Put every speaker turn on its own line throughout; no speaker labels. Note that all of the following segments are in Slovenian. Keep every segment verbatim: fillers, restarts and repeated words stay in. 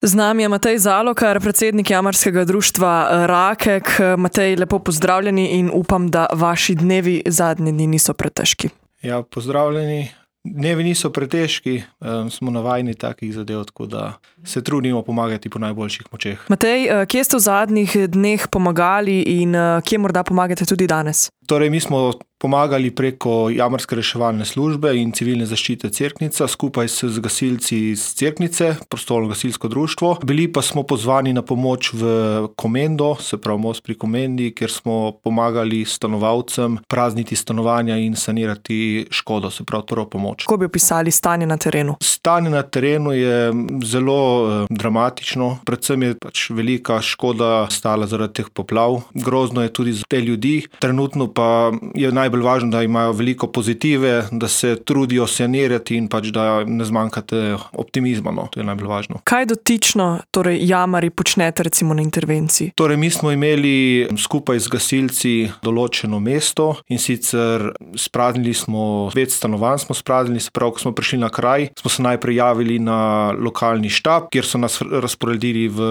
Z nami je Matej Zalokar, predsednik jamarskega društva Rakek. Matej, lepo pozdravljeni in upam, da vaši dnevi zadnji dni niso pretežki.
Ja, pozdravljeni. Dnevi niso pretežki, um, smo navajeni takih zadev, tako da se trudimo pomagati po najboljših močeh.
Matej, kje ste v zadnjih dneh pomagali in kje morda pomagate tudi danes?
Torej, mi smo pomagali preko jamarske reševalne službe in civilne zaščite Cerknica skupaj s gasilci iz Cerknice, prostovoljno gasilsko društvo. Bili pa smo pozvani na pomoč v Komendo, se pravi most pri Komendi, kjer smo pomagali stanovalcem prazniti stanovanja in sanirati škodo, se pravi prvo pomoč.
Kako bi opisali stanje na terenu?
Stanje na terenu je zelo eh, dramatično, predvsem je pač velika škoda stala zaradi teh poplav. Grozno je tudi za te ljudi, trenutno pa je naj Najbolj važno, da imajo veliko pozitive, da se trudijo sanirati in pač da ne zmanjkate optimizma. No. To je najbolj važno.
Kaj dotično torej jamari počnete recimo na intervenciji?
Torej, mi smo imeli skupaj z gasilci določeno mesto in sicer spraznili smo devet stanovanj, smo spraznili, se pravi, ko smo prišli na kraj, smo se najprej javili na lokalni štab, kjer so nas razporedili v,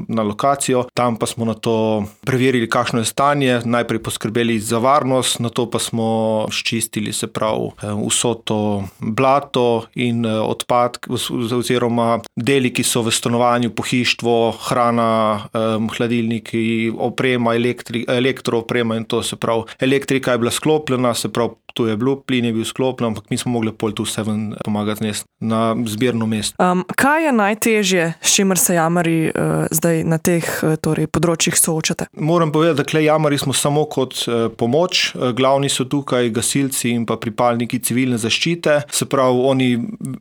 na lokacijo, tam pa smo nato preverili, kakšno je stanje, najprej poskrbeli za varnost, nato pa smo ščistili, se pravi, vso to blato in odpadke oziroma deli, ki so v stanovanju, pohištvo, hrana, hladilniki, oprema, elektri, elektrooprema in to, se pravi, elektrika je bila sklopljena, se pravi, tu je bil, plin je bil sklopljen, ampak mi smo mogli pol tu vse ven pomagati znesti na zbirno mesto.
Um, kaj je najtežje, s čimer se jamari uh, zdaj na teh uh, torej, področjih soočate?
Moram povedati, da klej jamari smo samo kot uh, pomoč. Glavni so tukaj gasilci in pa pripadniki civilne zaščite. Se pravi, oni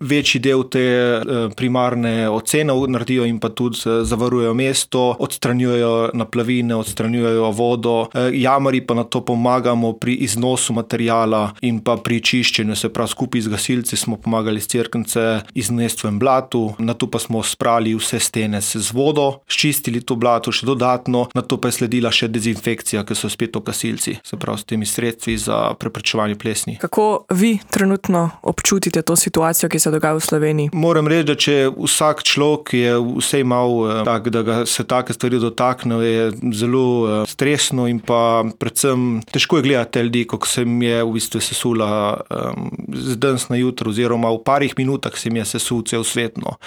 večji del te uh, primarne ocene naredijo in pa tudi uh, zavarujejo mesto, odstranjujejo naplavine, odstranjujejo vodo. Uh, jamari pa na to pomagamo pri iznosu materijala in pa pri čiščenju, se pravi, skupaj z gasilci smo pomagali s Cerknice iznesti v blatu, nato pa smo sprali vse stene z vodo, ščistili to blato še dodatno, nato pa je sledila še dezinfekcija, ki so spet to gasilci, se pravi, s temi sredstvi za preprečevanje plesni.
Kako vi trenutno občutite to situacijo, ki se dogaja v Sloveniji?
Moram reči, da če vsak človek je vse imel tak, da ga se take stvari dotakne, je zelo stresno in pa predvsem težko je gledati te ljudi, kako se mi je v bistvu sesula um, z danes na jutro oziroma v parih minutah se mi je sesul cel svet. No.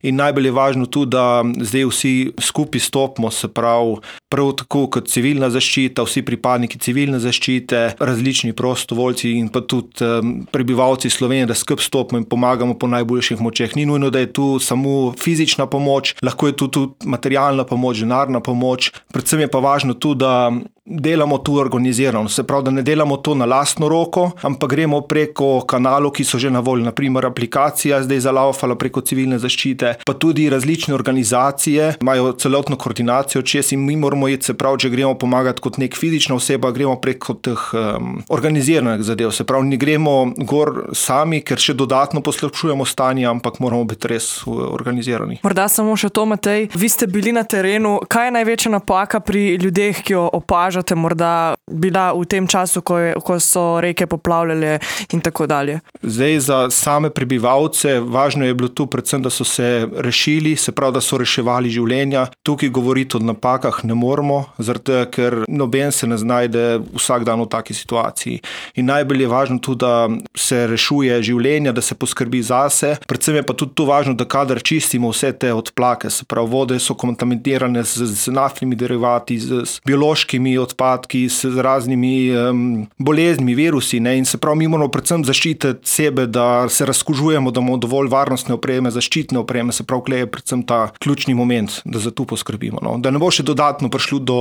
In najbolj je važno tudi, da zdaj vsi skupaj stopimo, se pravi, prav tako kot civilna zaščita, vsi pripadniki civilne zaščite, različni prostovoljci in pa tudi um, prebivalci Slovenije, da skupaj stopimo in pomagamo po najboljših močeh. Ni nujno, da je tu samo fizična pomoč, lahko je tu tudi materialna pomoč, denarna pomoč, predvsem je pa važno tudi, da delamo tu organizirano, se pravi, da ne delamo to na lastno roko, ampak gremo preko kanalov, ki so že na voljo, na primer aplikacija zdaj zalaufala preko civilne zaščite, pa tudi različne organizacije imajo celotno koordinacijo, čez in mi moramo iti, se pravi, če gremo pomagati kot nek fizična oseba, gremo preko teh um, organiziranih zadev, se pravi, ne gremo gor sami, ker še dodatno poslabšujemo stanje, ampak moramo biti res organizirani.
Morda samo še to, Matej, vi ste bili na terenu, kaj je največja napaka pri ljudeh, ki jo opažate, morda bila v tem času, ko, je, ko so reke poplavljale in tako dalje? Zdaj
za same prebivalce važno je bilo tu predvsem, da so se rešili, se pravi, da so reševali življenja. Tukaj govoriti o napakah ne moramo, zato ker noben se ne znajde vsak dan v taki situaciji. In najbolj je važno tudi, da se rešuje življenja, da se poskrbi zase. Predvsem je pa tudi tu važno, da kadar čistimo vse te odplake, se pravi, vode so kontaminirane z, z naftnimi derivati, z, z biološkimi odpadki, s raznimi um, boleznimi, virusi, ne, in se pravi, mi moramo predvsem zaščititi sebe, da se razkužujemo, da imamo dovolj varnostne opreme, zaščitne opreme, se pravi, klej je predvsem ta ključni moment, da za to poskrbimo, no, da ne bo še dodatno prišlo do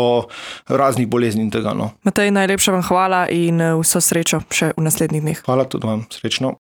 raznih bolezni in tega, no.
Matej, najlepša vam hvala in vso srečo še v naslednjih dneh.
Hvala tudi vam, srečno.